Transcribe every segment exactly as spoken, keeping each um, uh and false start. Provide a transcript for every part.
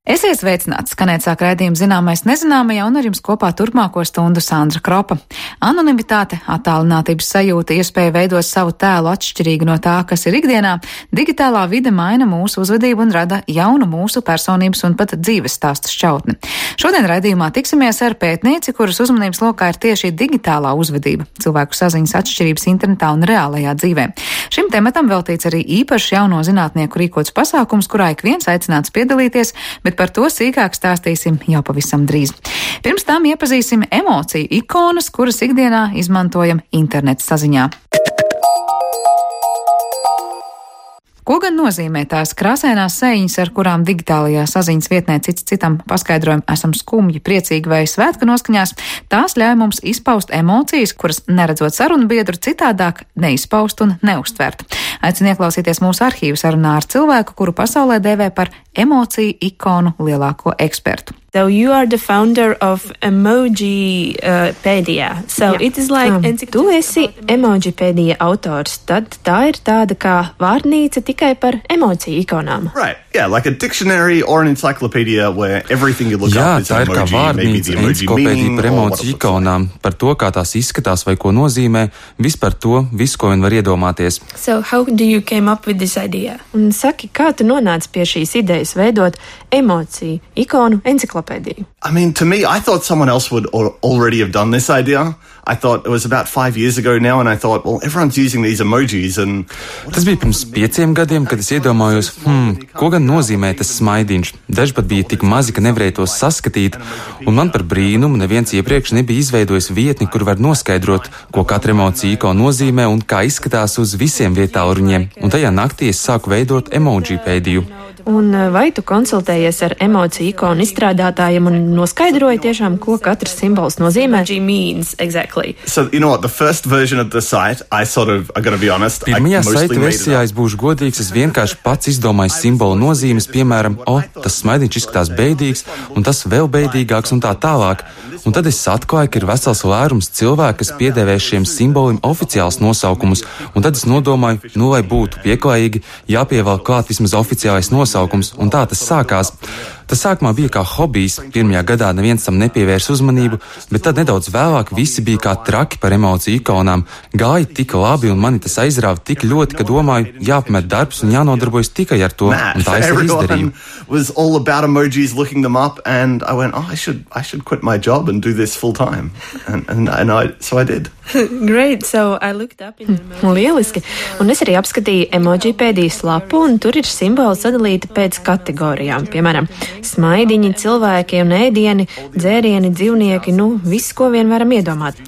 Esiet sveicināts, skanēt sāk raidījumu Zināmais nezināmajā, un ar jums kopā turpmāko stundu Sandra Kropa. Anonimitāte, attālinātības sajūta, iespēja veidot savu tēlu atšķirīgi no tā, kas ir ikdienā, digitālā vide maina mūsu uzvedību un rada jaunu mūsu personības un pat dzīves stāstu šķautni. Šodien raidījumā tiksimies ar pētnieci, kuras uzmanības lokā ir tieši digitālā uzvedība, cilvēku saziņas atšķirības internetā un reālajā dzīvē. Šim tematam veltīts arī īpašs jauno zinātnieku rīkots pasākums, kurā ik viens aicināts piedalīties, bet par to sīkāk stāstīsim jau pavisam drīz. Pirms tam iepazīsim emociju ikonas, kuras ikdienā izmantojam interneta saziņā. Ko gan nozīmē tās krāsainās sejiņas, ar kurām digitālajā saziņas vietnē cits citam paskaidrojam, esam skumji, priecīgi vai svētku noskaņās? Tās ļauj mums izpaust emocijas, kuras, neredzot sarunu biedru, citādāk neizpaust un neuztvert. Aicinu ieklausīties mūsu arhīvu sarunā ar cilvēku, kuru pasaulē dēvē par emociju ikonu lielāko ekspertu. So you are the founder of Emojipedia. So Jā. it is like Um, encycl- tu esi Emojipedia autors, tad tā ir tāda kā vārnīca tikai par emociju ikonām. Right, yeah, like a dictionary or an encyclopedia where everything you look Jā, up is tā an ir kā emoji, maybe the vārnīca, emoji enciklopēdija meaning par or what it emociju looks like. ikonām, par to, kā tās izskatās vai ko nozīmē, viss par to, visu, ko vien var iedomāties. So how do you came up with this idea? Un saki, kā tu nonāci pie šīs idejas veidot emociju ikonu enciklopēdiju? I mean, to me, I thought someone else would al- already have done this idea. I thought it was about five years ago now, and I thought, well, everyone's using these emojis, and Tas bija pirms pieciem gadiem, kad es iedomājos, hmm, ko gan nozīmē tas smaidiņš. Daži pat bija tik mazi, ka nevarēja tos saskatīt, un man par brīnumu neviens iepriekš nebija izveidojis vietni, kur var noskaidrot, ko katra emocija ikona nozīmē un kā izskatās uz visiem vietāluņiem. Un tajā naktī es sāku veidot Emojipēdiju. Un vai tu konsultējies ar emociju ikonu izstrādātājiem un noskaidroji tiešām, ko katrs simbols nozīmē? Emoji means exactly. so you know what? The first version of the site, I sort of, I gotta be honest, I Pirmajā mostly saita made it versijā, up. es būšu godīgs, es vienkārši pats izdomāju simbolu nozīmes, piemēram, o, tas smaidiņš izskatās beidīgs, un tas vēl beidīgāks un tā tālāk. Un tad es atklāju, ka ir vesels lērums cilvēku, kas piedēvē šiem simboliem oficiāls nosaukums, un tad es nodomāju, nu, lai būtu pieklājīgi, jāpievēl klāt vismaz oficiālais nosaukums, un tā tas sākās. Tas sākumā bija kā hobijs, pirmajā gadā neviens tam nepievērs uzmanību, bet tad nedaudz vēlāk visi bija kā traki par emociju ikonām. Gāja tik labi, un mani tas aizrāva tik ļoti, ka domāju, jāpamet darbs un jānodarbojas tikai ar to, un Mad. tā es arī izdarīju. Everyone was all about emojis, looking them up, and I went, oh, I should, I should quit my job and do this full time, and and, and I, so I did. Great. So I looked up in emoji. Lieliski! Un es arī apskatīju Emojipēdijas lapu, un tur ir simboli sadalīti pēc kategorijām. Piemēram, smaidiņi, cilvēki un ēdieni, dzērieni, dzīvnieki, nu, viss, ko vien varam iedomāt.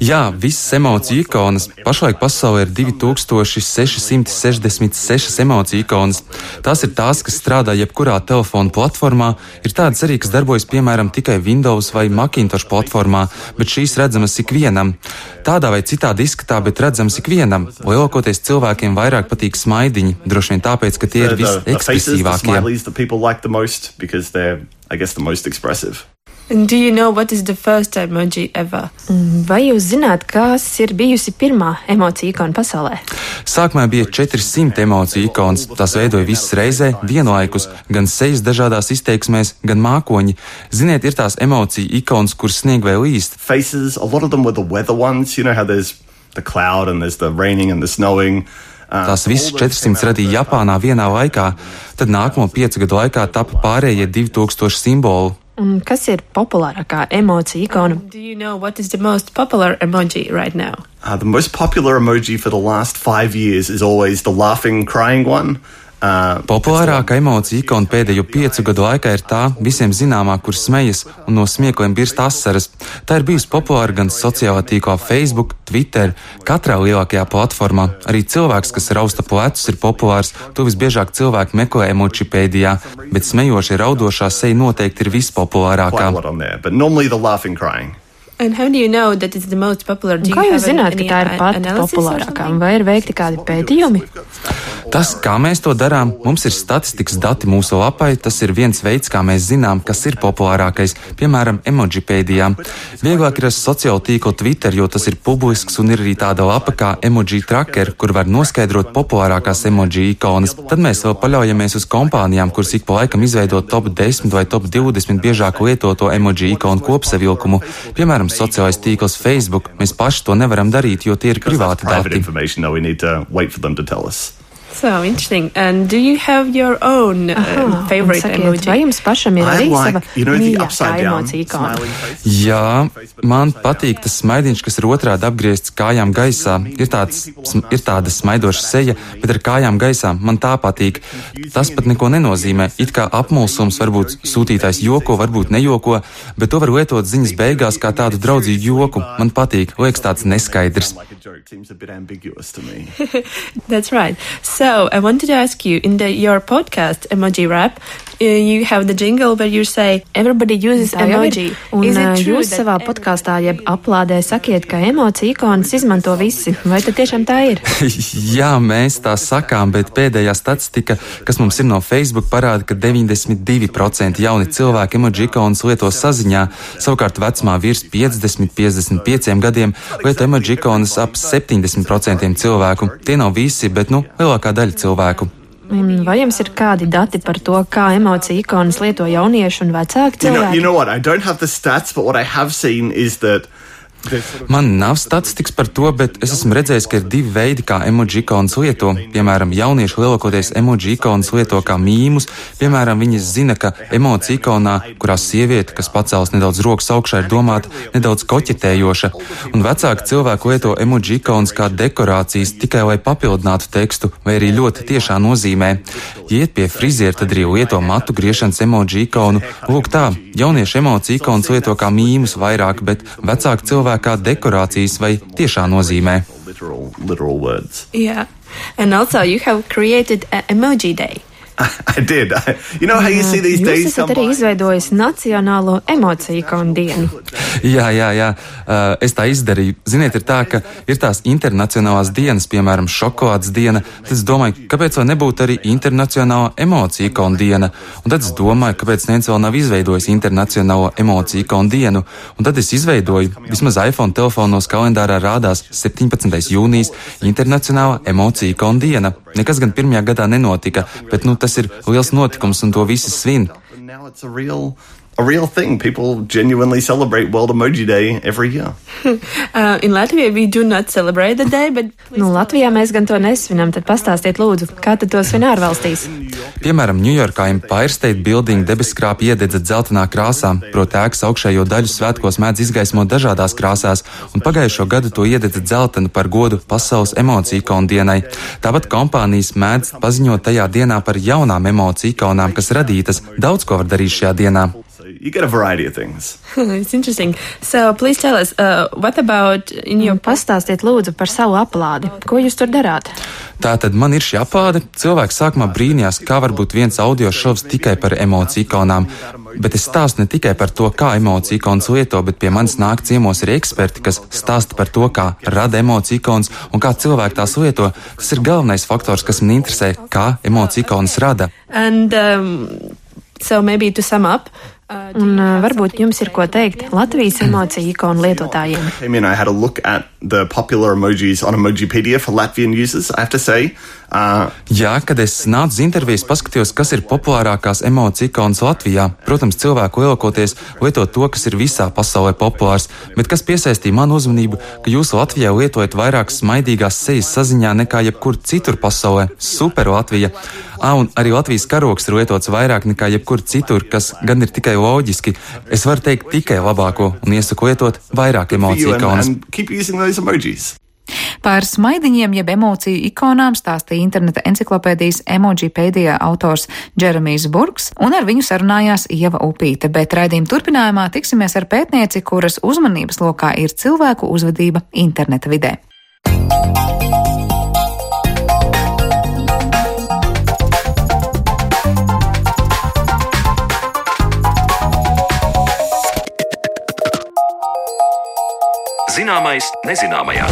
Jā, visas emociju ikonas. Pašlaik pasaulē ir divi tūkstoši seši simti sešdesmit sešas emociju ikonas. Tās ir tās, kas strādā jebkurā telefona platformā, ir tādas arī, kas darbojas piemēram tikai Windows vai Macintosh platformā, bet šīs redzamas ikvienam. Tādā vai citādi izskatā, bet redzams ikvienam. Lielākoties cilvēkiem vairāk patīk smaidiņi, droši vien tāpēc, ka tie ir The, the, the faces, the visekspresīvākie. smileys that people like the most because they're, I guess, the most expressive. And do you know what is the first emoji ever? Vai jūs zināt, kas ir bijusi pirmā emociju ikona pasaulē? Sākumā bija četri simti emociju ikonas, tās veidoja visas reizē, vienlaikus, gan sejas dažādās izteiksmēs, gan mākoņi. Ziniet, ir tās emociju ikonas, kuras snieg vai līst. Faces, a lot of them were the weather ones. You know how there's the cloud and there's the raining and the snowing. Uh, Tās visas all those četrsimt came out. radīja Japānā vienā laikā, tad nākamo piecu gadu laikā tapa pārējie divi tūkstoši simbolu. Un kas ir populārākā emociju ikona? Do you know what is the most popular emoji right now? Uh, the most popular emoji for the last five years is always the laughing, crying one. Uh, Populārākā emocija ikona pēdējo piecu gadu laikā ir tā visiem zināmā, kur smejas un no smiekliem birst asaras. Tā ir bijusi populāra gan sociālā tīklā Facebook, Twitter, katrā lielākajā platformā. Arī cilvēks, kas rausta plecus, ir populārs. To visbiežāk cilvēki meklē Emojipēdijā, bet smejošie raudošā seja noteikti ir quite vispopulārākā. a lot on there, but normally the laughing, crying. And how do you know that it's the most popular? Do Kā you jūs have zināt, ka any tā ir a- pati analysis or populārākā? something? Vai ir veikti kādi pētījumi? Tas, kā mēs to darām, mums ir statistikas dati mūsu lapai, tas ir viens veids, kā mēs zinām, kas ir populārākais, piemēram, Emojipēdijā. Vieglāk ir ar sociālo tīklu Twitter, jo tas ir publisks un ir arī tāda lapa kā Emoji Tracker, kur var noskaidrot populārākās emoji ikonas. Tad mēs vēl paļaujamies uz kompānijām, kuras ik pa laikam izveido top desmit vai top divdesmit biežāk lietoto emoji ikonu kopsavilkumu. Piemēram, sociālais tīkls Facebook. Mēs paši to nevaram darīt, jo tie ir privāti dati. So interesting. And do you have your own uh, Aha, favorite sakiet, emoji? vai jums pašam ir arī like, sava you know, the mīļākā upside down emocija ikona? smiley face. Jā, man patīk tas smaidiņš, kas ir otrādi apgriezts kājām gaisā. Ir, tāds, ir tāda smaidoša seja, bet ar kājām gaisā. Man tā patīk. Tas pat neko nenozīmē. It kā apmulsums, varbūt sūtītājs joko, varbūt nejoko, bet to var lietot ziņas beigās kā tādu draudzīgu joku. Man patīk. Liekas tāds neskaidrs. That's right. So I wanted to ask you, in the, your podcast, Emoji Rap, uh, you have the jingle where you say, everybody uses Tā jau ir. emoji. Un Is ā, it true jūs that savā everybody- podkāstā, jeb aplādē sakiet, ka emocija ikonas izmanto visi. Vai tad tiešām tā ir? Jā, mēs tā sakām, bet pēdējā statistika, kas mums ir no Facebook, parāda, ka deviņdesmit divi procenti jauni cilvēki emoji ikonas lieto saziņā, savukārt vecumā virs piecdesmit līdz piecdesmit pieciem gadiem lieto emoji ikonas ap septiņdesmit procentiem cilvēku. Tie nav visi, bet, nu, lielākā daļa cilvēku. Un vai jums ir kādi dati par to, kā emocija ikonas lieto jaunieši un vecāki You know, cilvēki? you know what? I don't have the stats, but what I have seen is that Man nav statistikas par to, bet es esmu redzējis, ka ir divi veidi, kā emoji ikonas lieto. Piemēram, jaunieši lielākoties emoji ikonas lieto kā mīmus. Piemēram, viņi zina, ka emoji ikonā, kurā sieviete, kas pacēlas nedaudz rokas augšā, ir domāta nedaudz koķetējoša. Un vecāki cilvēki lieto emoji ikonas kā dekorācijas tikai lai papildinātu tekstu, vai arī ļoti tiešā nozīmē. Ja iet pie friziera, tad arī lieto matu griešanas emoji ikonu. Lūk tā, jaunieši emoji ikonas lieto kā mīmus vairāk, bet vecāki cilvēki kā dekorācijas vai tiešā nozīmē. literal, literal words. Yeah. And also, you have created an Emoji Day. I did. I, you know how you see these Jūs days esat come arī by? izveidojis Nacionālo emociju ikonu dienu. Jā, jā, jā. Uh, es tā izdarīju. Ziniet, ir tā, ka ir tās internacionālās dienas, piemēram, šokolādes diena. Tad es domāju, kāpēc vēl nebūtu arī internacionālā emociju ikonu diena. Un tad es domāju, kāpēc neviens vēl nav izveidojis internacionālo emociju ikonu dienu. Un tad es izveidoju, vismaz iPhone telefonos kalendārā rādās septiņpadsmitais jūnijas internacionālā emociju ikonu diena. Nekas gan pirmajā gadā nenotika, bet nu tas ir liels notikums un to visi svin. And now it's a real, a real thing. People genuinely celebrate World Emoji Day every year. Uh, in Latvia, we do not celebrate the day, but Nu, Latvijā mēs gan to nesvinam, tad pastāstiet lūdzu, kā tad to svin ārvalstīs? Piemēram, Ņujorkā Empire State Building debeskrāpja iededza dzeltenā krāsā, proti ēkas augšējo daļu svētkos mēdz izgaismot dažādās krāsās, un pagājušo gadu to iededza dzeltenu par godu Pasaules emociju ikonu dienai. Tāpat kompānijas mēdz paziņot tajā dienā par jaunām emociju ikonām, kas radītas. Daudz ko var darīt šajā dienā. So you get a variety of things. it's interesting. So please tell us, uh, what about in your Pastāstiet lūdzu par savu aplādi. Ko jūs tur darāt? Tātad man ir šī aplāde. Cilvēks sākumā brīnījās, kā var būt viens audio šovs tikai par emociju ikonām. Bet es stāstu ne tikai par to, kā emociju ikonas lieto, bet pie manis nāk ciemos arī eksperti, kas stāsta par to, kā rada emociju ikonas un kā cilvēki tās lieto. Tas ir galvenais faktors, kas man interesē, kā emociju ikonas rada. And um, so maybe to sum up. Uh, do Un you uh, have varbūt jums ir ko teikt Latvijas emociju ikonu lietotājiem. Came in, I had a look at the popular emojis on Emojipedia for Latvian users. I have to say, uh, Jā, kad es nācu uz intervijas, paskatījos, kas ir populārākās emociju ikonas Latvijā. Protams, cilvēku lielākoties lieto to, kas ir visā pasaulē populārs, bet kas piesaistīja manu uzmanību, ka jūs Latvijā lietojat vairāk smaidīgās sejas saziņā nekā jebkur citur pasaulē. Super Latvija! Ā, un arī Latvijas karogs ir lietots vairāk nekā jebkur citur, kas gan ir tikai loģiski. Es varu teikt tikai labāko un iesaku lietot vairāk for emociju you and, ikonas. and keep using those emojis. Par smaidiņiem jeb emociju ikonām stāstīja interneta enciklopēdijas Emojipēdijā autors Džeremijs Burks, un ar viņu sarunājās Ieva Upīte, bet raidījuma turpinājumā tiksimies ar pētnieci, kuras uzmanības lokā ir cilvēku uzvedība interneta vidē. Zināmais nezināmajā.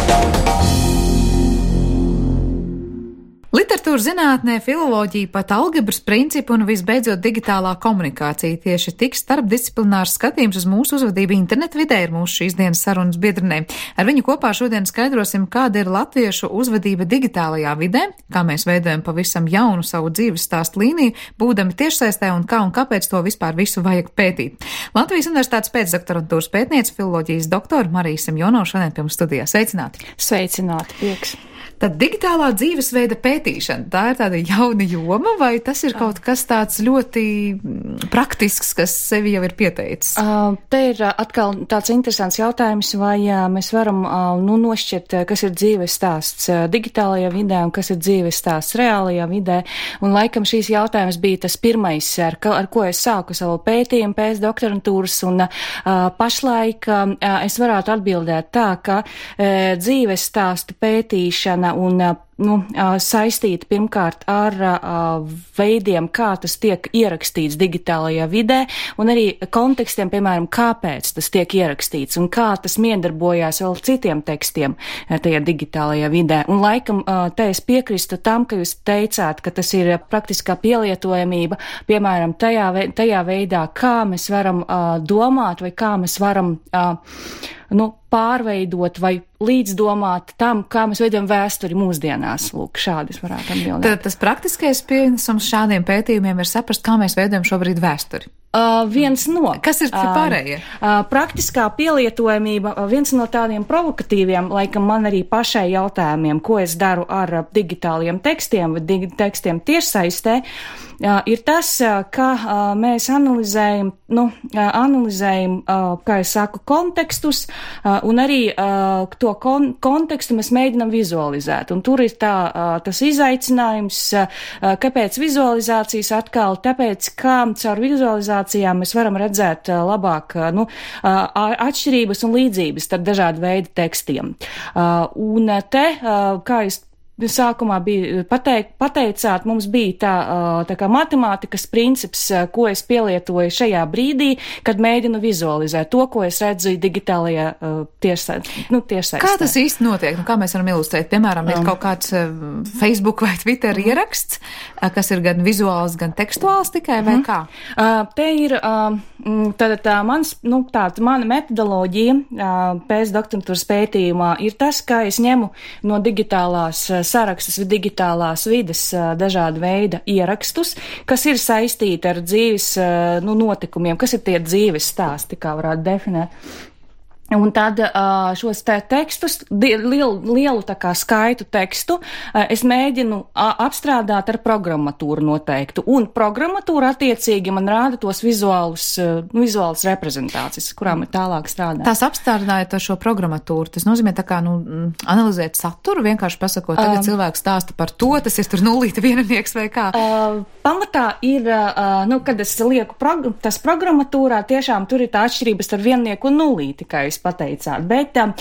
Literatūra zinātnē, filoloģija, pat algebras principi un visbeidzot digitālā komunikācija. Tieši tik starpdisciplinārs skatījums uz mūsu uzvedību internetu vidē ir mūsu šīs dienas sarunas biedrenē. Ar viņu kopā šodien skaidrosim, kāda ir latviešu uzvedība digitālajā vidē, kā mēs veidojam pavisam jaunu savu dzīves stāstu līniju, būdami tiešsaistē un kā un kāpēc to vispār visu vajag pētīt. Latvijas Universitātes pēcdoktorantūras pētniece, filoloģijas doktora Marija Semjonova šodien pie mums studijā. Sveicināti! Sveicināti, prieks! Tad digitālā dzīvesveida pētīšana, tā ir tāda jauna joma, vai tas ir kaut kas tāds ļoti praktisks, kas sevi jau ir pieteicis? Uh, te ir atkal tāds interesants jautājums, vai uh, mēs varam uh, nu, nošķirt, kas ir dzīves stāsts uh, digitālajā vidē un kas ir dzīves stāsts reālajā vidē. Un laikam šīs jautājums bija tas pirmais, ar, ar ko es sāku savu pētījumu pēc doktorantūras, un uh, pašlaik uh, es varētu atbildēt tā, ka uh, dzīves stāstu pētīšana un nu, saistīta pirmkārt ar veidiem, kā tas tiek ierakstīts digitālajā vidē, un arī kontekstiem, piemēram, kāpēc tas tiek ierakstīts un kā tas miedarbojās vēl citiem tekstiem tajā digitālajā vidē. Un laikam te es piekristu tam, ka jūs teicāt, ka tas ir praktiskā pielietojamība, piemēram, tajā, tajā veidā, kā mēs varam domāt vai kā mēs varam nu, pārveidot vai līdzdomāt tam, kā mēs veidojam vēsturi mūsdienās. Lūk, šādi es varētu atbildēt. Tad tas praktiskais pienesums šādiem pētījumiem ir saprast, kā mēs veidojam šobrīd vēsturi. Uh, viens no. Kas ir pārējie? Uh, uh, praktiskā pielietojamība, uh, viens no tādiem provokatīviem, laikam man arī pašai jautājumiem, ko es daru ar uh, digitāliem tekstiem vai digi tekstiem tiešsaistē, uh, ir tas, uh, ka uh, mēs analizējam, nu, uh, analizējam, uh, kā es saku, kontekstus, uh, un arī uh, to kon kontekstu mēs mēģinam vizualizēt. Un tur ir tā, uh, tas izaicinājums, uh, kāpēc vizualizācijas atkal, tāpēc, kā caur vizualizāciju mēs varam redzēt labāk nu, atšķirības un līdzības starp dažādu veidu tekstiem. Un te, kā jūs sākumā bija pateik, pateicāt, mums bija tā, tā kā matemātikas princips, ko es pielietoju šajā brīdī, kad mēģinu vizualizēt to, ko es redzu digitālajā tiešsaistē. Nu, tiešsaistē. Kā tas īsti notiek? Nu, kā mēs varam ilustrēt? Piemēram, ir um. kaut kāds Facebook vai Twitter um. ieraksts, kas ir gan vizuāls, gan tekstuāls tikai, vai um. kā? Uh, te ir uh, tāda tā mans, nu, tāda mana metodoloģija uh, pēc doktorantūras pētījumā ir tas, ka es ņemu no digitālās sarakstus vai digitālās vides dažāda veida ierakstus, kas ir saistīti ar dzīves nu, notikumiem, kas ir tie dzīves stāsti, kā varētu definēt. Un tad šos te tekstus, lielu, lielu tā kā skaitu tekstu, es mēģinu apstrādāt ar programmatūru noteiktu. Un programmatūra attiecīgi man rāda tos vizuālus, vizuālas reprezentācijas, kurām ir tālāk strādāt. Tās apstrādājot ar šo programmatūru, tas nozīmē tā kā, nu, analizēt saturu, vienkārši pasakot, tagad um, cilvēks stāsta par to, tas ir tur nulīta vienanieks vai kā? Uh, pamatā ir, uh, nu, kad es lieku prog tas programmatūrā, tiešām tur ir tā atšķirības ar viennieku un nulīti, kā jūs pateicāt. Bet uh,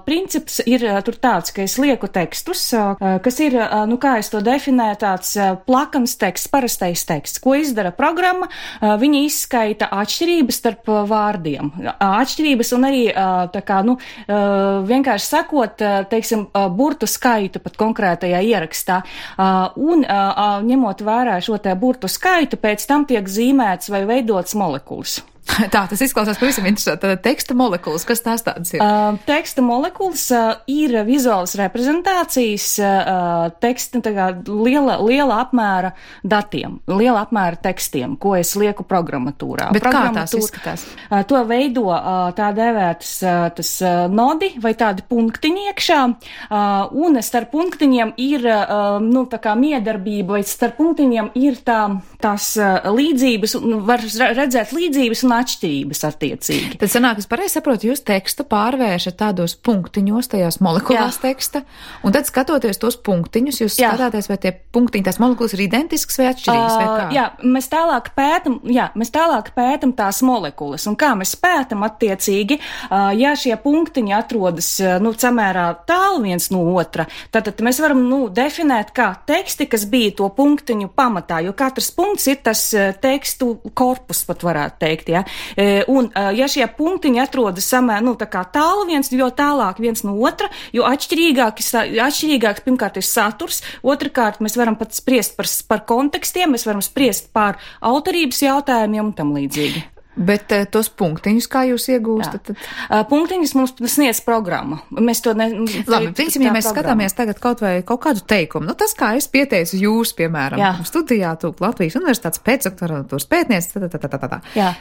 princips ir uh, tur tāds, ka es lieku tekstus, uh, kas ir, uh, nu kā es to definēju, tāds uh, plakans teksts, parastais teksts. Ko izdara programma? Uh, viņi izskaita atšķirības starp uh, vārdiem. Uh, atšķirības un arī, uh, tā kā, nu, uh, vienkārši sakot, uh, teiksim, uh, burtu skaitu pat konkrētajā ierakstā. Uh, un uh, ņemot vērā šo te burtu skaitu, pēc tam tiek zīmēts vai veidots molekulas. Tā, tas izklausās pavisam interesanti. Tātad teksta molekulas, kas tās tādas ir? Uh, teksta molekulas uh, ir vizuālas reprezentācijas uh, teksta, tā kā liela, liela apmēra datiem, liela apmēra tekstiem, ko es lieku programmatūrā. Bet kā tās izskatās? Uh, to veido uh, tā dēvētas uh, tas uh, nodi vai tādi punktiņi iekšā, uh, un starp punktiņiem ir, uh, nu, tā kā miedarbība, vai starp punktiņiem ir tā, tās uh, līdzības, un var redzēt līdzības un atšķirības attiecīgi. Tad sanāk, es pareizi saprotu, jūs tekstu pārvēršat tādos punktiņos, tajās molekulās jā. Teksta, un tad skatoties tos punktiņus, jūs jā. Skatāties, vai tie punktiņi, tās molekulas ir identiskas vai atšķirīgas, vai kā? Uh, jā, mēs tālāk pētam, jā, mēs tālāk pētam tās molekulas, un kā mēs pētam attiecīgi, uh, ja šie punktiņi atrodas, uh, nu, samērā tālu viens no otra, tad, tad mēs varam, nu, definēt kā teksti, kas bija to punktiņu pamatā, jo katrs punkts ir tas uh, tekstu korpus, pat varētu teikt, jā. Ja? Un, ja šie punktiņi atrodas samē, nu, tā kā tālu viens, jo tālāk viens no otra, jo atšķirīgāk, atšķirīgāks pirmkārt ir saturs, otrkārt mēs varam pat spriest par, par kontekstiem, mēs varam spriest par autorības jautājumiem un tam līdzīgi. Bet uh, tos punktiņus, kā jūs iegūstat? Tad... Uh, punktiņus mums sniedz programma. Mēs to ne... Labi, piemēram, ja mēs programma. skatāmies tagad kaut vai kaut kādu teikumu, nu tas, kā es pieteicu jūs, piemēram, Jā. studijā tūk Latvijas universitātes pēcdoktorantūras pētniece, tā, tā, tā, tā, tā. Jā.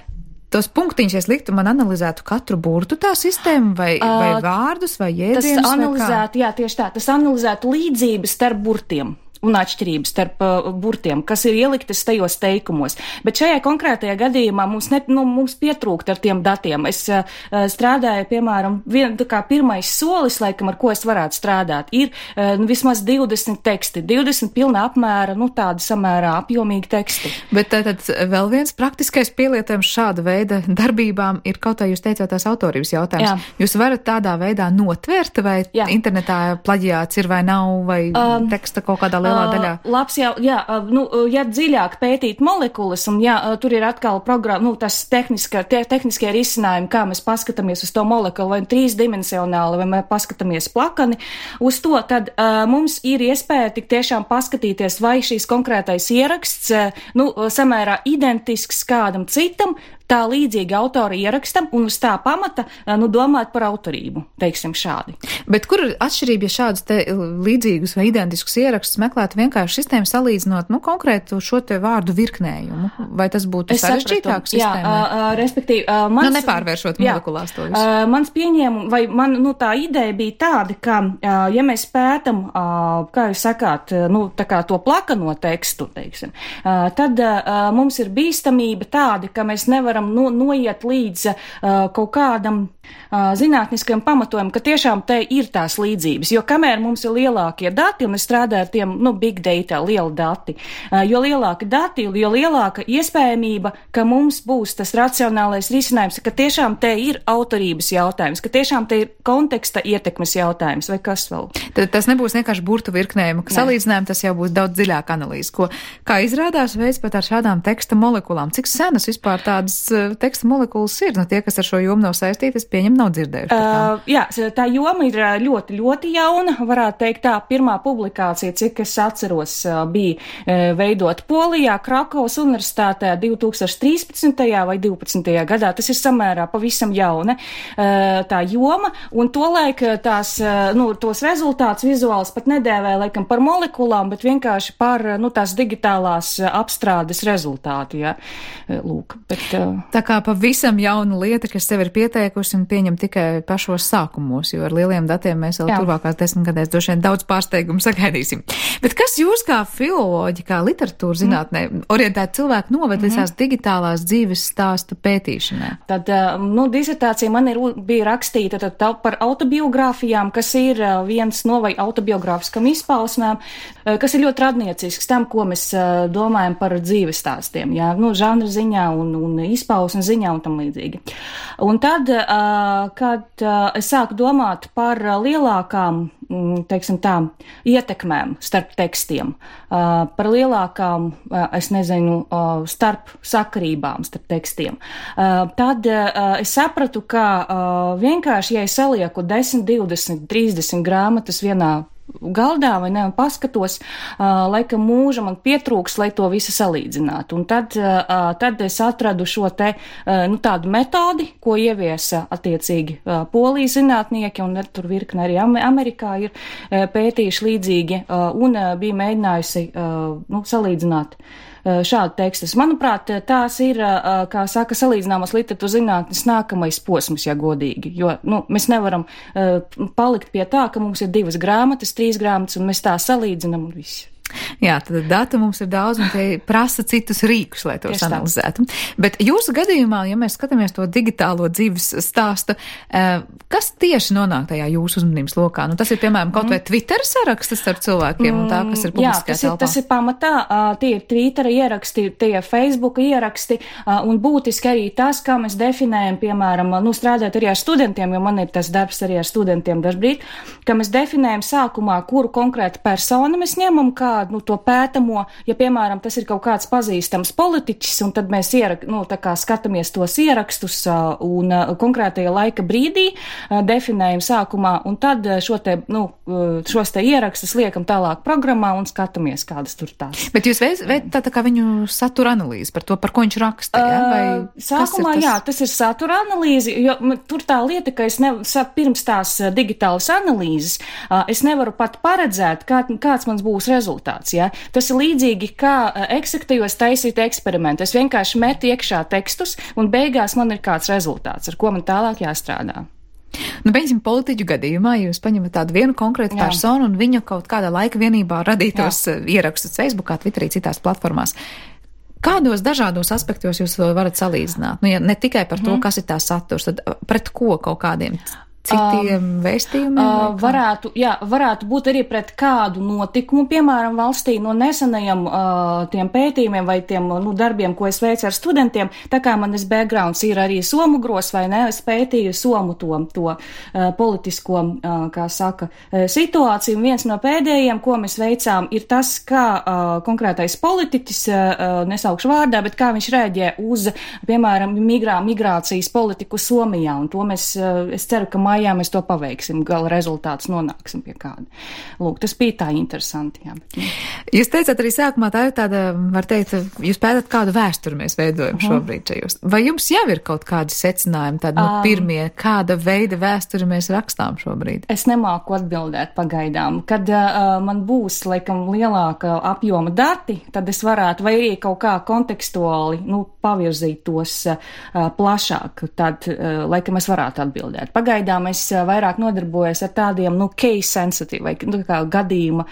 Tos punktiņus es liktu, man analizētu katru burtu tā sistēmu, vai, uh, vai vārdus, vai jēdzienus, tas analizētu, jā, tieši tā, tas analizētu līdzības starp burtiem un atšķirības starp uh, burtiem, kas ir ieliktas tajos teikumos. Bet šajā konkrētajā gadījumā mums, ne, nu, mums pietrūkt ar tiem datiem. Es uh, strādāju, piemēram, vien, tā kā pirmais solis, laikam, ar ko es varētu strādāt, ir uh, vismaz divdesmit teksti, divdesmit pilna apmēra, nu, tādi samērā apjomīgi teksti. Bet tad vēl viens praktiskais pielietojums šāda veida darbībām ir kaut kā jūs teicāt tās autorības jautājums. Jā. Jūs varat tādā veidā notvērt, vai Jā. internetā plaģiāts ir vai nav, vai um, teksta kaut kādā lielā daļā. Uh, labs jau, jā, uh, nu, ja dziļāk pētīt molekulas, un jā, uh, tur ir atkal programma, nu, tas tehniska, te, tehniskie risinājumi, kā mēs paskatāmies uz to molekulu, vai trīsdimensionāli, vai mēs paskatāmies plakani, uz to, tad uh, mums ir iespēja tik tiešām paskatīties, vai šīs konkrētais ieraksts, uh, nu, samērā identisks kādam citam, tā līdzīgi autora ierakstam, un uz tā pamata, nu, domāt par autorību, teiksim šādi. Bet kur ir atšķirība, ja šādus te līdzīgus vai identiskus ierakstus meklētu vienkārši sistēmu salīdzinot, nu, konkrētu šo te vārdu virknējumu? Vai tas būtu sarežģītāk sistēmai? Jā, uh, respektīvi, uh, mans... Nu, nepārvēršot molekulās to visu. Uh, mans pieņēmums, vai man, nu, tā ideja bija tāda, ka, uh, ja mēs pētam, uh, kā jūs sakāt, uh, nu, tā kā to plakano tekstu, teiksim, uh, tad uh, mums ir bīstamība tāda, ka mēs nevaram No, noiet līdz uh, kaut kādam uh, zinātniskajam pamatojumam, ka tiešām te ir tās līdzības, jo kamēr mums ir lielākie dati, un es strādāju ar tiem, nu, big data, lieli dati, uh, jo lielāki dati, jo lielāka iespējamība, ka mums būs tas racionālais risinājums, ka tiešām te ir autorības jautājums, ka tiešām te ir konteksta ietekmes jautājums, vai kas vēl. Tad tas nebūs vienkārši burtu virknējumu, ka salīdzinājumi tas jau būs daudz dziļāk analīze, ko, kā izrādās veids pat ar šādām teksta molekulām. Cik senas vispār tādas teksta molekulas ir? Nu, tie, kas ar šo jomu nav saistīti, es pieņemu, nav dzirdējuši. Uh, jā, tā joma ir ļoti, ļoti jauna. Varētu teikt tā, pirmā publikācija, cik es atceros, bija veidot Polijā, Krakovas universitātē divi tūkstoši trīspadsmitajā vai divpadsmitajā gadā. Tas ir samērā pavisam jauna tā joma, un tolaik tās, nu, tos rezultātus vizuāls pat nedēvēja laikam par molekulām, bet vienkārši par, nu, tās digitālās apstrādes rezultātu, jā. Lūk, bet... Tā kā pavisam jauna lieta, kas sev ir pieteikusi un pieņem tikai pašos sākumos, jo ar lieliem datiem mēs vēl Jā. turvākās desmitgadēs droši vien daudz pārsteigumu sagaidīsim. Bet kas jūs kā filoloģi, kā literatūra zinātnē, mm. orientēti cilvēki noved līdz tās mm. digitālās dzīves stāstu pētīšanai? Tad, nu, disertācija man ir, bija rakstīta tad, par autobiogrāfijām, kas ir viens no vai autobiogrāfiskam izpausmēm, kas ir ļoti radniecisks tam, ko mēs domājam par dzīves stāstiem, jā, nu, žanra ziņā un, un izpausmes ziņā un tam līdzīgi. Un tad, kad es sāku domāt par lielākām, teiksim tā, ietekmēm starp tekstiem, par lielākām, es nezinu, starp sakarībām starp tekstiem, tad es sapratu, ka vienkārši, ja es salieku desmit, divdesmit, trīsdesmit grāmatas vienā galdā vai ne, un paskatos, uh, laikam mūža man pietrūks, lai to visu salīdzinātu. Un tad, uh, tad es atradu šo te, uh, nu, tādu metodi, ko ieviesa attiecīgi uh, polijas zinātnieki, un tur virkne arī Amerikā ir uh, pētījuši līdzīgi, uh, un uh, bija mēģinājusi, uh, nu, salīdzināt šādu tekstus. Manuprāt, tās ir, kā saka, salīdzināmas literatūras zinātnes nākamais posms, ja godīgi, jo, nu, mēs nevaram uh, palikt pie tā, ka mums ir divas grāmatas, trīs grāmatas, un mēs tā salīdzinam un viss. Jā, tad datu mums ir daudz, un tie prasa citus rīkus, lai tos analizētu. Bet jūsu gadījumā, ja mēs skatāmies to digitālo dzīves stāstu, kas tieši nonāk tajā jūsu uzmanības lokā? Nu, tas ir, piemēram, kaut vai Twitter sarakstas starp cilvēkiem un tā, kas ir publiskajā telpā. Jā, tas ir, tas ir pamatā, tie ir Twitter ieraksti, tie ir Facebook ieraksti, un būtiski arī tas, kā mēs definējam, piemēram, nu, strādāt arī ar studentiem, jo man ir tas darbs arī ar studentiem dažbrīd, ka mēs definējam sākumā, kuru konkrētu personu mēs ņemam kā kādu, nu, to pētamo, ja, piemēram, tas ir kaut kāds pazīstams politiķis, un tad mēs ierak, nu, tā kā skatāmies tos ierakstus un konkrētajā laika brīdī definējam sākumā, un tad šo te, nu, šos te ierakstus liekam tālāk programmā un skatāmies, kādas tur tās. Bet jūs veicat tā, tā kā viņu satura analīzi par to, par ko viņš raksta, ja? Vai uh, sākumā, tas? Jā, tas ir satura analīzi, jo tur tā lieta, ka es ne, pirms tās digitālas analīzes, uh, es nevaru pat paredzēt, kā, kāds mans būs rezultāts, ja? Tas ir līdzīgi, kā uh, eksaktajos taisīt eksperimentu. Es vienkārši metu iekšā tekstus, un beigās man ir kāds rezultāts, ar ko man tālāk jāstrādā. Nu, piemēram, politiķu gadījumā jūs paņemat tādu vienu konkrētu Jā. personu un viņa kaut kādā laika vienībā radītos Jā. ierakstus Facebookā, Twitterī, citās platformās. Kādos dažādos aspektos jūs varat salīdzināt? Nu, ja ne tikai par to, mm. kas ir tā saturs, tad pret ko kaut kādiem citiem uh, vēstījumiem? Uh, varētu, jā, varētu būt arī pret kādu notikumu, piemēram, valstī no nesenajiem uh, tiem pētījumiem vai tiem nu, darbiem, ko es veicu ar studentiem. Tā kā manis backgrounds ir arī somu gros vai ne, es pētīju somu to, to uh, politisko, uh, kā saka, uh, situāciju. Viens no pēdējiem, ko mēs veicām, ir tas, kā uh, konkrētais politiķis, uh, nesaukšu vārdā, bet kā viņš rēģē uz, piemēram, migrā, migrācijas politiku Somijā. Un to mēs, uh, es ceru, ka mājā mēs to paveiksim, gala rezultāts nonāksim pie kāda. Lūk, tas bija tā interesanti, jā. Jūs teicāt arī sākumā, tā ir tāda, var teikt, jūs pētat, kādu vēsturi mēs veidojam uh-huh. šobrīd šajos. Vai jums jau ir kaut kādi secinājumi, tādi, nu, pirmie, kāda veida vēsturi mēs rakstām šobrīd? Es nemāku atbildēt pagaidām. Kad uh, man būs, laikam, lielāka apjoma dati, tad es varētu, vai arī kaut kā kontekstuāli, nu, pavirzīt tos uh, plašāk, tad, uh, laikam, es varētu atbildēt. Pagaidām es vairāk nodarbojos ar tādiem, nu, case sensitive, vai nu, kā gadījuma,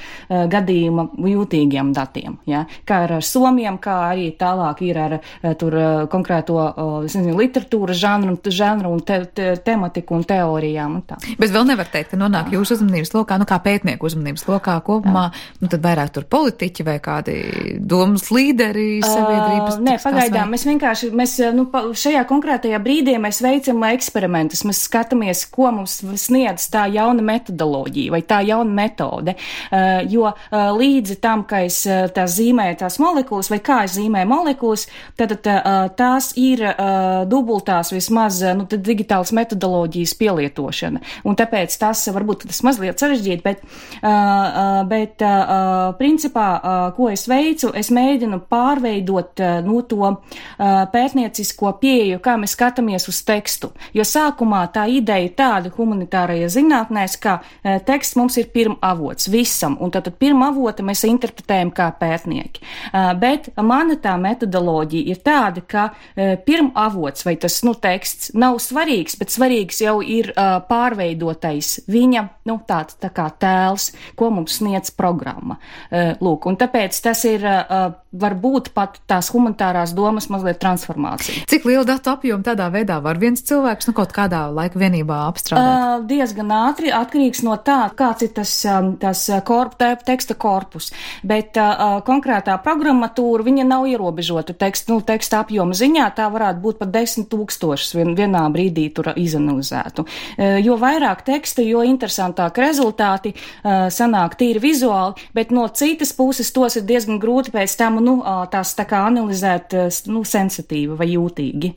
gadījuma jūtīgiem datiem, ja? Kā ar Somiem, kā arī tālāk ir ar tur konkrēto, es nezinu, literatūras žanru, žanru un te, te, tematiku un teorijām un tā. Bet vēl nevar teikt, ka nonāk Jā. jūsu uzmanības lokā, nu, kā pētnieku uzmanības lokā kopumā, Jā. nu, tad vairāk tur politiķi vai kādi domas līderi sabiedrības. Uh, nē, pagaidām, vai... mēs vienkārši, mēs, nu, šajā konkrētajā brīdī mēs veicam eksperimentus, mēs skatāmies, ko mums sniedz tā jauna metodoloģija vai tā jauna metode, uh, jo uh, līdzi tam, ka es uh, tās zīmēju tās molekulas vai kā es zīmēju molekulas, tad uh, tās ir uh, dubultās vismaz uh, nu, digitālas metodoloģijas pielietošana. Un tāpēc tas varbūt tas mazliet sarežģīt, bet, uh, uh, bet uh, principā, uh, ko es veicu, es mēģinu pārveidot uh, nu, to uh, pētniecisko pieeju, kā mēs skatāmies uz tekstu. Jo sākumā tā ideja tāda humanitārajā zinātnēs, ka e, teksts mums ir pirmavots visam, un tad pirmavota mēs interpretējam kā pētnieki. E, bet mana tā metodoloģija ir tāda, ka e, pirmavots vai tas, nu, teksts nav svarīgs, bet svarīgs jau ir e, pārveidotais viņa, nu, tāds tā kā tēls, ko mums sniedz programma. E, lūk, un tāpēc tas ir e, varbūt pat tās humanitārās domas mazliet transformācija. Cik lielu datu apjomu tādā veidā var viens cilvēks, nu, kaut kādā laika vienībā apstrādāt? Uh, diezgan ātri, atkarīgs no tā, kāds ir tas, um, tas korp, teksta korpus, bet uh, konkrētā programmatūra, viņa nav ierobežota teksta, nu, teksta apjoma ziņā, tā varētu būt pat desmit tūkstošus vien, vienā brīdī tur izanalizētu. Uh, jo vairāk teksta, jo interesantāk rezultāti uh, sanāk tīri vizuāli, bet no citas puses tos ir diezgan grūti pēc tam, nu, uh, tās tā kā analizēt, uh, nu, sensitīvi vai jūtīgi.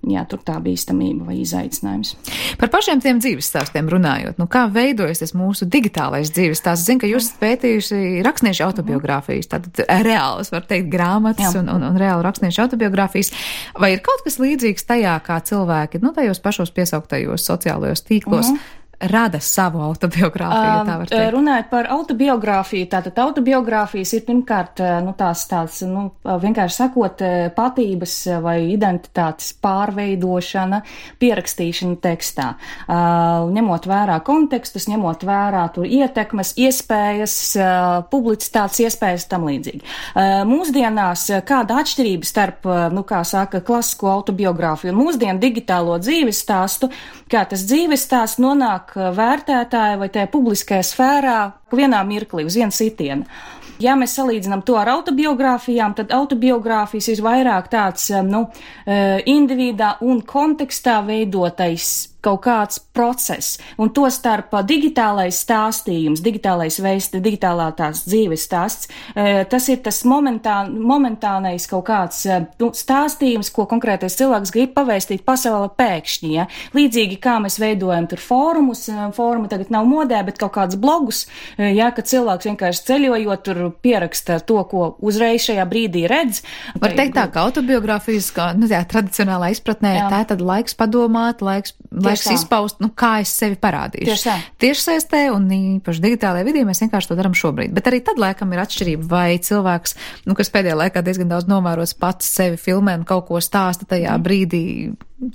Jā, tur tā bīstamība vai izaicinājums. Par pašiem tiem dzīves stāstiem runājot, nu kā veidojas tas mūsu digitālais dzīves stāsts? Zinu, ka jūs pētījuši rakstniešu autobiogrāfijas, tātad reālas, var teikt, grāmatas un, un, un reāli rakstniešu autobiogrāfijas. Vai ir kaut kas līdzīgs tajā, kā cilvēki, nu, tajos pašos piesauktajos sociālajos tīklos, uh-huh. rada savu autobiogrāfiju, ja tā var teikt? Runājot par autobiogrāfiju, tātad autobiogrāfijas ir pirmkārt, nu, tās tāds, nu, vienkārši sakot, patības vai identitātes pārveidošana, pierakstīšana tekstā. Ņemot vērā kontekstus, ņemot vērā tur ietekmes, iespējas, publicitātes iespējas tam līdzīgi. Mūsdienās kāda atšķirība starp, nu, kā saka, klasisko autobiogrāfiju un mūsdienu digitālo dzīves stāstu, kā tas dzīves stāsts nonāk vērtētāja vai tajā publiskajā sfērā vienā mirklī uz vienu sitienu. Ja mēs salīdzinām to ar autobiogrāfijām, tad autobiogrāfijas ir vairāk tāds, nu, individā un kontekstā veidotais kaut kāds process, un to starp digitālais stāstījums, digitālais veids, digitālā tās dzīves stāsts, tas ir tas momentā, momentānais kaut kāds nu, stāstījums, ko konkrētais cilvēks grib pavēstīt pasaulē pēkšņi, ja. Līdzīgi kā mēs veidojam tur fórumus, fórumi tagad nav modē, bet kaut kāds blogus, ja, ka cilvēks vienkārši ceļojot tur pieraksta to, ko uzreiz šajā brīdī redz. Var teikt tā, ka autobiogrāfijas, kā, nu, jā, tradicionālā izpratnē, jā. Tā tad laiks padomāt, laiks, laiks izpaust, nu, kā es sevi parādīšu. Tieši tā. Tiešsaistē un īpaši digitālajā vidī mēs vienkārši to daram šobrīd. Bet arī tad, laikam, ir atšķirība, vai cilvēks, nu, kas pēdējā laikā diezgan daudz novērots pats sevi filmē un kaut ko stāsta tajā mm. brīdī,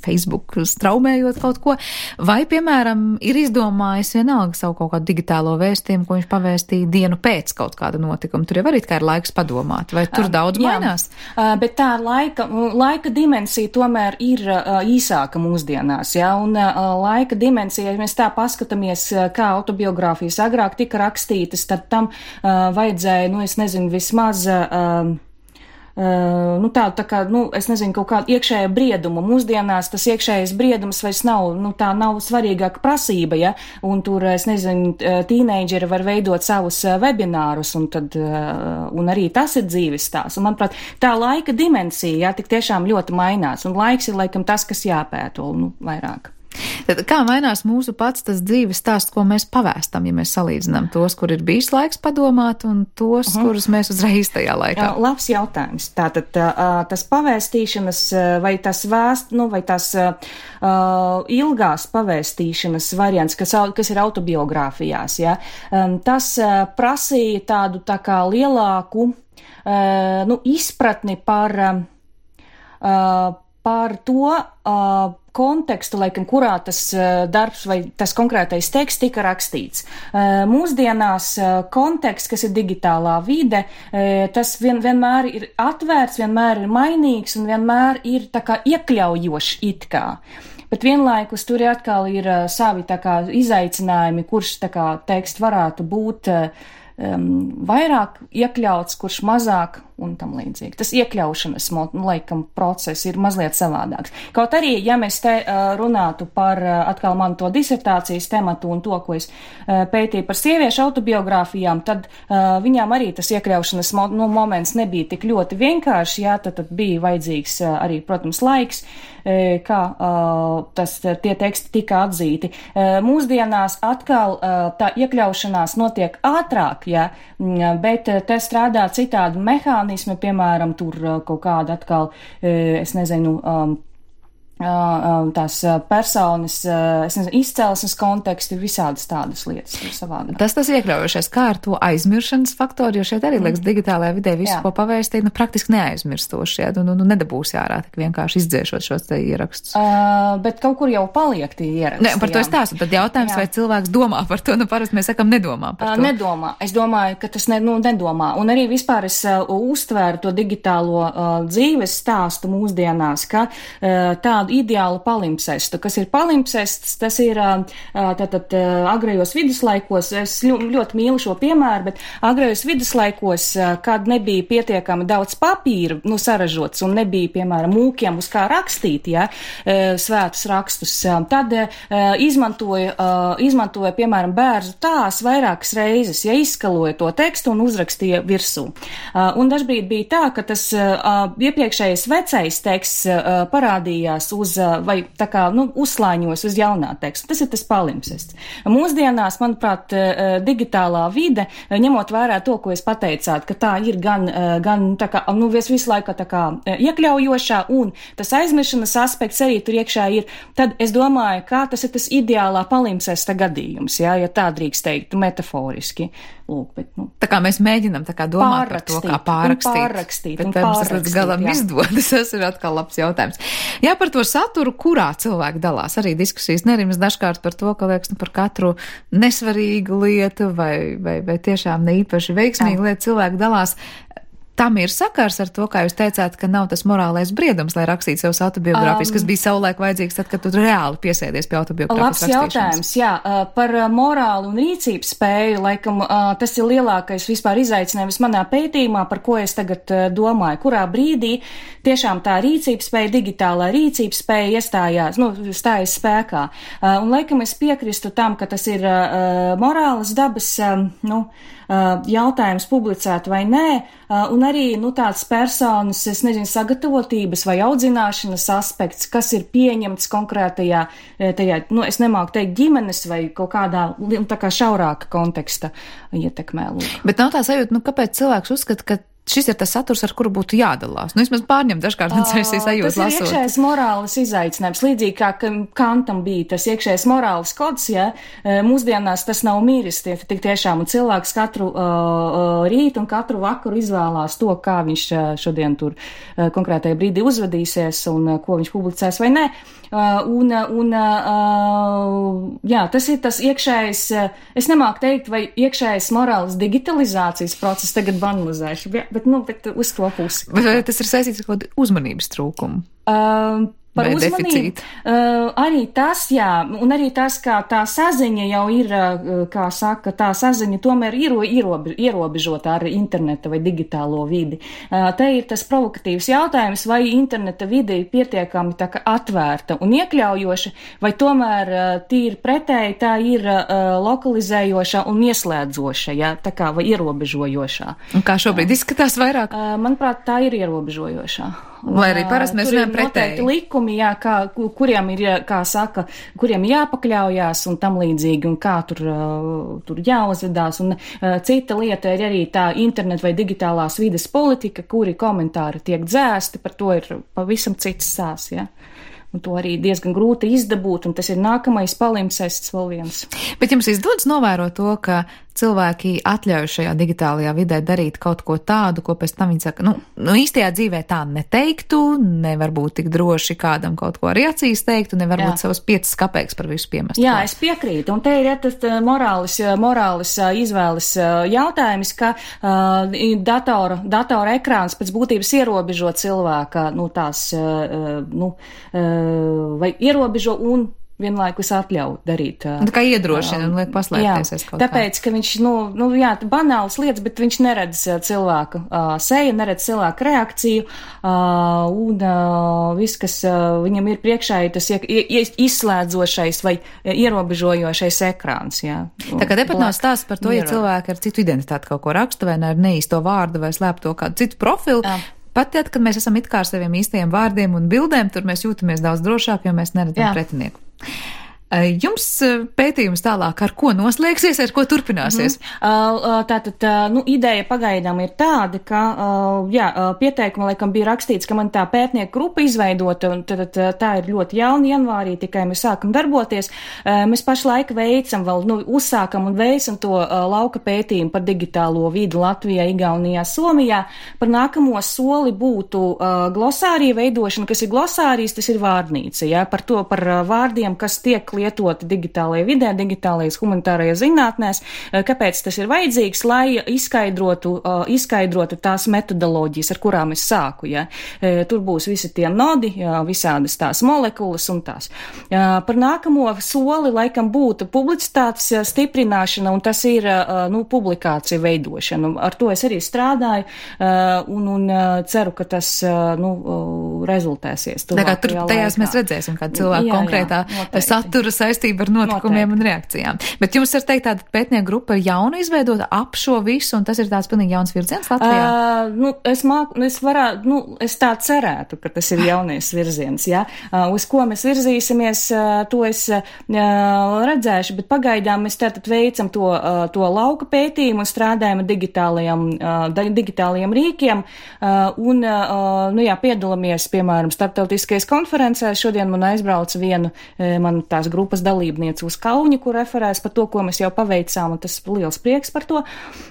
Facebook straumējot kaut ko, vai, piemēram, ir izdomājis vienalga savu kaut kādu digitālo vēstījumu, ko viņš pavēstīja dienu pēc kaut kāda notikuma. Tur jau arī kā ir laiks padomāt, vai tur daudz Jā, mainās? Bet tā laika, laika dimensija tomēr ir īsāka mūsdienās, ja, un laika dimensija, ja mēs tā paskatāmies, kā autobiogrāfijas agrāk tika rakstītas, tad tam vajadzēja, nu, es nezinu, vismaz Uh, nu tā, tā kā, nu, es nezinu, kaut kādu iekšēju briedumu. Mūsdienās tas iekšējais briedums vairs nav, nu, tā nav svarīgāka prasība, ja, un tur, es nezinu, tīneidžeri var veidot savus webinārus, un tad, uh, un arī tas ir dzīves stāsts. Un, manuprāt, tā laika dimensija, jā, tik tiešām ļoti mainās, un laiks ir, laikam, tas, kas jāpēto, nu, vairāk. Tad kā mainās mūsu pats tas dzīves stāsts, ko mēs pavēstam, ja mēs salīdzinām tos, kur ir bijis laiks padomāt, un tos, uh-huh. kurus mēs uzreiz tajā laikā? Uh, labs jautājums. Tātad uh, tas pavēstīšanas vai tas vēst, nu, vai tas uh, ilgās pavēstīšanas variants, kas, kas ir autobiogrāfijās, ja, um, tas uh, prasīja tādu tā kā lielāku uh, nu, izpratni par, uh, par to, uh, kontekstu, laikam, kurā tas uh, darbs vai tas konkrētais teksts tika rakstīts. Uh, mūsdienās uh, konteksts, kas ir digitālā vide, uh, tas vien, vienmēr ir atvērts, vienmēr ir mainīgs un vienmēr ir tā kā iekļaujošs it kā. Bet vienlaikus tur atkal ir uh, savi tā kā izaicinājumi, kurš tā kā teksts varētu būt uh, um, vairāk iekļauts, kurš mazāk un tam līdzīgi. Tas iekļaušanas, nu, laikam, process ir mazliet savādāks. Kaut arī, ja mēs te uh, runātu par uh, atkal manu to disertācijas tematu un to, ko es uh, pētīju par sieviešu autobiogrāfijām, tad uh, viņām arī tas iekļaušanas mo- nu, moments nebija tik ļoti vienkārši, jā, tad, tad bija vajadzīgs uh, arī, protams, laiks, uh, kā uh, tas, tie teksti tika atzīti. Uh, mūsdienās atkal uh, tā iekļaušanās notiek ātrāk, jā, bet uh, te strādā citādi mehānismi, piemēram, tur kaut kāda atkal, es nezinu, um, tās personas, es nezinu, izcelsmes konteksti, visādas tādas lietas ir savādāk. Tas tas iekļaujošais, kā ar to aizmiršanas faktoru, jo šeit arī, liekas, digitālajā vidē visu, jā. Ko pavēstīt, nu, praktiski neaizmirstoši, jā, nu, nu, nedabūs ārā, tik vienkārši izdzēšot šos te ierakstus. Uh, bet kaut kur jau paliek tie ieraksti. Ne, par to es stāstu, tad jautājums, jā. Vai cilvēks domā par to, nu, parasti mēs sakam, nedomā par to. Uh, nedomā, es domāju, ka tas ne, nu, nedomā, un arī vispār es uh, uztvēru to digitālo uh, dzīves stāstu mūsdienās, ka uh, tā ideālu palimpsestu. Kas ir palimpsests, tas ir tātad agrējos viduslaikos, es ļoti mīlu šo piemēru, bet agrējos viduslaikos, kad nebija pietiekami daudz papīra, nu, saražots un nebija, piemēram, mūkiem uz kā rakstīt, ja, svētus rakstus, tad izmantoja, izmantoja, piemēram, bērzu tās vairākas reizes, ja izskaloja to tekstu un uzrakstīja virsū. Un dažbrīd bija tā, ka tas iepriekšējais vecais teksts parādījās uz vai tā kā, nu, uzslāņos uz jaunā teksta. Tas ir tas palimpsests. Mūsdienās, manuprāt, digitālā vide, ņemot vērā to, ko es pateicāt, ka tā ir gan, gan tā kā, nu, visu laiku tā kā iekļaujošā un tas aizmiršanas aspekts arī tur iekšā ir, tad es domāju, kā tas ir tas ideālā palimpsesta gadījums, jā, ja tā drīkst teikt, metaforiski. Lūk, bet, nu, tā kā mēs mēģinam tā kā domāt par to, kā pārrakstīt. Un pārrakstīt, bet un mums tas līdz galam jā. izdodas, tas ir atkal labs jautājums. Jā, par to saturu, kurā cilvēki dalās, arī diskusijas nerimas dažkārt par to, ka liekas, nu, par katru nesvarīgu lietu vai, vai, vai tiešām ne īpaši veiksmīgu lietu cilvēki dalās. tam ir sakars ar to, kā jūs teicāt, ka nav tas morālais briedums, lai rakstītu savus autobiogrāfijas, um, kas bija savulaik vajadzīgs tad, kad tu reāli piesēdies pie autobiogrāfijas rakstīšanas? Labs jautājums, jā. Par morālu un rīcības spēju, laikam, tas ir lielākais vispār izaicinājums manā pētījumā, par ko es tagad domāju, kurā brīdī tiešām tā rīcības spēja, digitālā rīcības spēja iestājās, nu, stājas spēkā. Un laikam es piekristu tam, ka tas ir morālas dabas, nu, jautājums publicēt vai nē, un arī, nu, tāds personas, es nezinu, sagatavotības vai audzināšanas aspekts, kas ir pieņemts konkrētajā, tajā, nu, es nemāku teikt ģimenes vai kaut kādā, tā kā šaurāka konteksta ietekmē. Lūk. Bet nav tā sajūta, nu, kāpēc cilvēks uzskata, ka šis ir tas saturs, ar kuru būtu jādalās. Nu, vismaz pārņem dažkārt man šīs sajūtas lasot. Tas ir iekšējais morāles izaicinājums. Līdzīgi kā Kantam bija tas iekšējais morāles kods, ja, mūsdienās tas nav miris, tie tik tiešām, un cilvēks katru uh, rītu un katru vakaru izvēlās to, kā viņš šodien tur uh, konkrētajā brīdī uzvedīsies un uh, ko viņš publicēs vai nē. Uh, un, un uh, jā, tas ir tas iekšējais, uh, es nemāku teikt, vai iekšējais morāles digitalizācijas process tagad banalizēšu, bet, nu, bet uz to pusi. Vai tas ir saistīts ar kaut uzmanības trūkumu? Uh, Par uzmanību, uh, arī tas, jā, un arī tas, kā tā saziņa jau ir, uh, kā saka, tā saziņa tomēr ir ierobe, ierobežota ar interneta vai digitālo vidi. Uh, te ir tas provokatīvs jautājums, vai interneta vide ir pietiekami tā kā atvērta un iekļaujoša, vai tomēr uh, tīri pretēji tā ir uh, lokalizējoša un ieslēdzoša, jā, tā kā vai ierobežojošā. Un kā šobrīd izskatās vairāk? Uh, manuprāt, tā ir ierobežojošā. Lai arī parasti mēs runājam pretēji. Likumi, jā, kā, kuriem ir, kā saka, kuriem jāpakļaujās un tam līdzīgi, un kā tur, tur jāuzvedās. Un uh, cita lieta ir arī tā internet vai digitālās vides politika, kuri komentāri tiek dzēsti, par to ir pavisam cits sās, jā. Un to arī diezgan grūti izdabūt, un tas ir nākamais palimpsests vēl viens. Bet jums izdodas novērot to, ka cilvēki atļauj šajā digitālajā vidē darīt kaut ko tādu, ko pēc tam viņi saka, nu, nu īstajā dzīvē tā neteiktu, nevar būt tik droši kādam kaut ko arī acīs teiktu, nevar būt savas piecas kapeikas par visu piemest. Jā, es piekrītu, un te ir ja, tas morālis, morālis izvēles jautājums, ka uh, datora, datora ekrāns pēc būtības ierobežo cilvēka, nu, tās, uh, nu, uh, vai ierobežo un vienlaikus atļauj darīt. Tā kā iedrošina un liek paslēpties aiz kaut kā. Tāpēc, ka viņš, nu, nu jā, banāls lietas, bet viņš neredz cilvēka uh, seju, neredz cilvēka reakciju, uh, un uh, viss, kas uh, viņam ir priekšā, ir tas izslēdzošais vai ierobežojošais ekrāns, jā. Tā kā tepat nav stāsts par to, ja cilvēki ar citu identitāti kaut ko raksta, vai ne ar neīsto vārdu, vai slēpto kādu citu profilu. Jā. Pat tad, kad mēs esam it kā ar saviem īstajiem vārdiem un bildēm, tur mēs jūtamies daudz drošāk, jo mēs neredzam pretinieku. Jums pētījums tālāk ar ko noslēgsies, ar ko turpināsies? Mm-hmm. Tātad, nu, ideja pagaidām ir tāda, ka, jā, pieteikuma laikam bija rakstīts, ka man tā pētnieku grupa izveidota, un tad tā ir ļoti jauna janvārī, tikai mēs sākam darboties. Mēs pašlaik veicam vēl, nu, uzsākam un veicam to lauka pētījumu par digitālo vidi Latvijā, Igaunijā, Somijā. Par nākamo soli būtu glosārija veidošana, kas ir glosārijas, tas ir vārdnīca, jā, par to, par vārdiem, kas tiek lietoti digitālajā vidē, digitālajās humanitārajās zinātnēs, kāpēc tas ir vajadzīgs, lai izskaidrotu, izskaidrotu tās metodoloģijas, ar kurām es sāku, ja. Tur būs visi tie nodi, visādas tās molekulas un tās. Par nākamo soli laikam būtu publicitātes stiprināšana, un tas ir, nu, publikācija veidošana. Ar to es arī strādāju, un, un ceru, ka tas, nu, rezultēsies. Tā kā tur tajās mēs redzēsim, kā cilvēku jā, konkrētā jā, satura saistība ar notikumiem Noteikti. Un reakcijām. Bet jums var teikt, tāda pētnieku grupa ir jauna izveidota ap šo visu, un tas ir tāds pilnīgi jauns virziens Latvijā? Uh, nu, es māku, es varētu, nu, es tā cerētu, ka tas ir jaunais virziens, jā. Uh, uz ko mēs virzīsimies, uh, to es uh, redzēšu, bet pagaidām mēs tātad veicam to, uh, to lauka pētījumu un strādājam ar digitālajiem, uh, digitālajiem rīkiem, uh, un, uh, nu jā, piedalāmies, piemēram, starptautiskajās konferencēs. Šodien man aizbrauca vienu, uh, man tās grupas dalībniece uz Kauni, kur referēs par to, ko mēs jau paveicām, un tas liels prieks par to.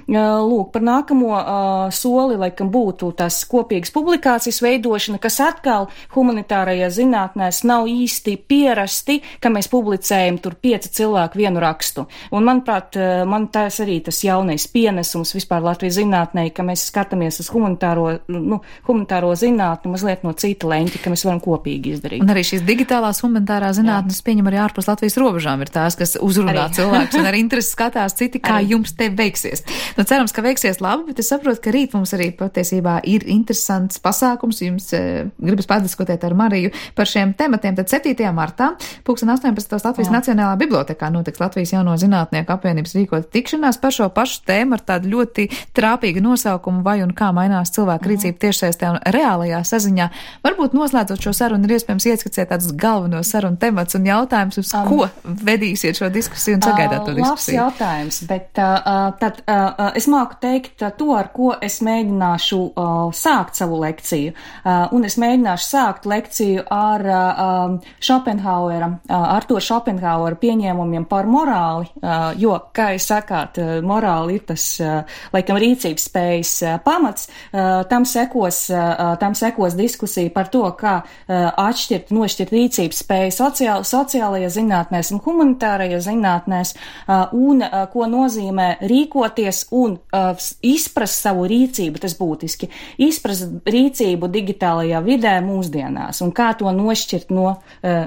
Lūk, par nākamo soli, laikam, būtu tas kopīgas publikācijas veidošana, kas atkal humanitārajā zinātnēs nav īsti pierasti, ka mēs publicējam tur pieci cilvēki vienu rakstu. Un, manuprāt, man tas arī tas jaunais pienesums vispār Latvijas zinātnē, ka mēs skatāmies uz humanitāro, nu, humanitāro zinātni mazliet no cita leņķa, ka mēs varam kopīgi izdarīt. Un arī šīs digitālās humanitārā zinātnes pieņem arī ārpus Latvijas robežām ir tās, kas uzrunā arī cilvēks un ar interesi skatās citi, kā arī jums te veiksies. Nu, cerams, ka veiksies labi, bet es saprotu, ka rīt mums arī patiesībā ir interesants pasākums. Jums e, gribas padiskutēt ar Mariju par šiem tematiem. Tad septītajā martā, pulksten astoņpadsmitajā Latvijas Jā. Nacionālā bibliotēkā notiks Latvijas jauno zinātnieku apvienības rīkota tikšanās par šo pašu tēmu ar tādu ļoti trāpīgu nosaukumu vai un kā mainās cilvēku rīcība tiešsaistē un reālajā saziņā. Varbūt noslēdzot šo sarunu ir iespējams ieskicēt tādus galvenos sarunu temats un jautājums, uz um, ko vedīsiet šo diskusiju un sagaidāt to diskusiju. Labs jautājums, bet uh, tad uh, es māku teikt uh, to, ar ko es mēģināšu uh, sākt savu lekciju. Uh, un es mēģināšu sākt lekciju ar uh, Schopenhauera, uh, Artura Schopenhauera pieņēmumiem par morāli, uh, jo, kā jūs sakāt, uh, morāli ir tas, uh, laikam, rīcības spējas uh, pamats. Uh, tam sekos, uh, tam sekos diskusija par to, kā uh, atšķirt, nošķirt rīcības spēju sociāl, sociālajā zinātnēs un humanitārajā zinātnēs, uh, un uh, ko nozīmē rīkoties un uh, izprast savu rīcību, tas būtiski, izprast rīcību digitālajā vidē mūsdienās un kā to nošķirt no uh,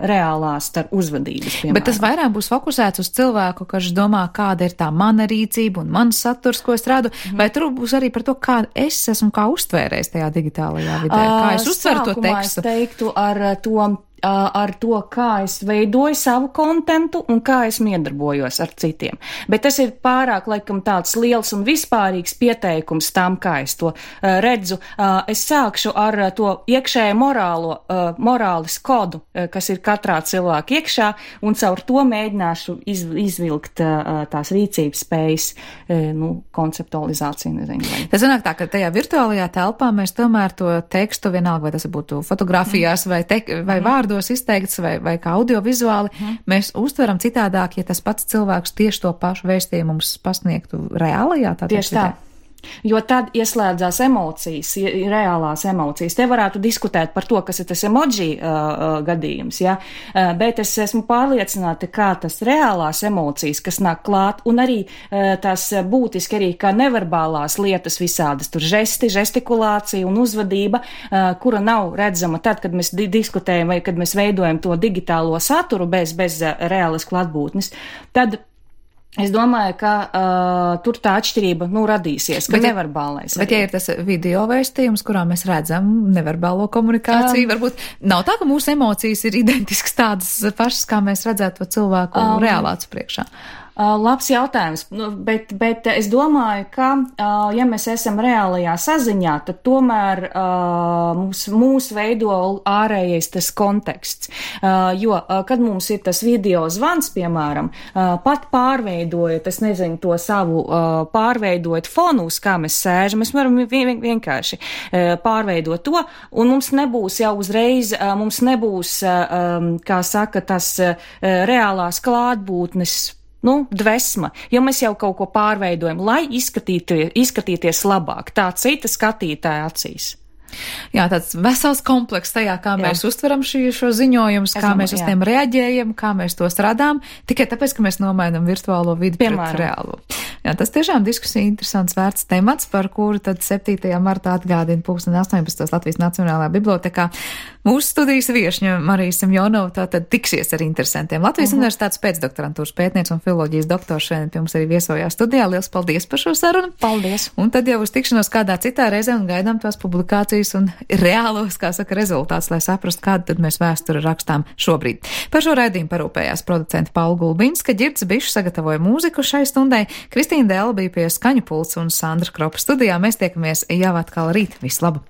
reālās tar uzvedības. Piemēram. Bet tas vairāk būs fokusēts uz cilvēku, kas domā, kāda ir tā mana rīcība un mans saturs, ko es rādu, mm. vai tur būs arī par to, kā es esmu kā uztvērējis tajā digitālajā vidē, kā es uztveru to tekstu. Es teiktu ar to ar to, kā es veidoju savu kontentu un kā es miedarbojos ar citiem. Bet tas ir pārāk, laikam, tāds liels un vispārīgs pieteikums tam, kā es to uh, redzu. Uh, es sākšu ar uh, to iekšējo morālo, uh, morālis kodu, uh, kas ir katrā cilvēka iekšā, un caur to mēģināšu iz, izvilkt uh, tās rīcības spējas, uh, nu, konceptualizāciju, nezinu. Vai. Tas sanāk tā, ka tajā virtuālajā telpā mēs tomēr to tekstu, vienalga, vai tas būtu fotografijās mm. vai, te, vai vārdu, izteikts vai, vai kā audiovizuāli, mm. mēs uztveram citādāk, ja tas pats cilvēks tieši to pašu vēstījumu mums pasniegtu reālajā. Tieši tā. Jo tad ieslēdzās emocijas, reālās emocijas. Te varētu diskutēt par to, kas ir tas emoji uh, gadījums, ja? uh, bet es esmu pārliecināta, kā tas reālās emocijas, kas nāk klāt, un arī uh, tās būtiski arī kā neverbālās lietas visādas, tur žesti, žestikulācija un uzvedība, uh, kura nav redzama tad, kad mēs di- diskutējam vai kad mēs veidojam to digitālo saturu bez, bez uh, reālas klātbūtnes, tad es domāju, ka uh, tur tā atšķirība, nu, radīsies, ka neverbālais. Bet, ja ir tas video vēstījums, kurā mēs redzam neverbālo komunikāciju, um, varbūt nav tā, ka mūsu emocijas ir identiskas tādas pašas, kā mēs redzētu to cilvēku um, reālā acu priekšā. Uh, labs jautājums, nu, bet, bet es domāju, ka, uh, ja mēs esam reālajā saziņā, tad tomēr uh, mūs, mūs veido ārējais tas konteksts. Uh, jo, uh, kad mums ir tas video zvans, piemēram, uh, pat pārveidojot, es nezinu, to savu, uh, pārveidojot fonu, uz kā mēs sēžam, mēs varam vien, vienkārši uh, pārveidot to, un mums nebūs jau uzreiz, uh, mums nebūs, uh, um, kā saka, tas uh, reālās klātbūtnes, nu, dvesma, jo mēs jau kaut ko pārveidojam, lai izskatīties, izskatīties labāk, tā cita skatītāja acīs. Jā, tāds vesels komplekss tajā, kā jā. Mēs uztveram šī, šo ziņojumus, kā mēs uz jā. Tiem reaģējam, kā mēs tos radām, tikai tāpēc, ka mēs nomainam virtuālo vidi Piemēram. Pret reālo. Jā, tas tiešām diskusija interesants vērts temats, par kuru tad septītajā martā atgādina pulksten astoņpadsmitajā Latvijas Nacionālajā bibliotēkā. Mūsu studijas viešņa Marija Semjonova tātad tiksies ar interesantiem. Latvijas uh-huh. Universitātes pēcdoktorantūras pētniece un filoloģijas doktors šodien pie mums arī viesojās studijā. Liels paldies par šo sarunu. Paldies. Un tad jau uz tikšanos kādā citā reizē un gaidām tās publikācijas un reālos, kā saka, rezultāts, lai saprastu, kādu tad mēs vēsturi rakstām šobrīd. Par šo raidījumu parūpējās producenta Paula Gulbinska, Ģirds Bišs sagatavoja mūziku šai stundai, Kristīna Dēla bija pie skaņu pults un Sandra Kropa studijā. Mēs tiekamies jau atkal rīt. Visu labu!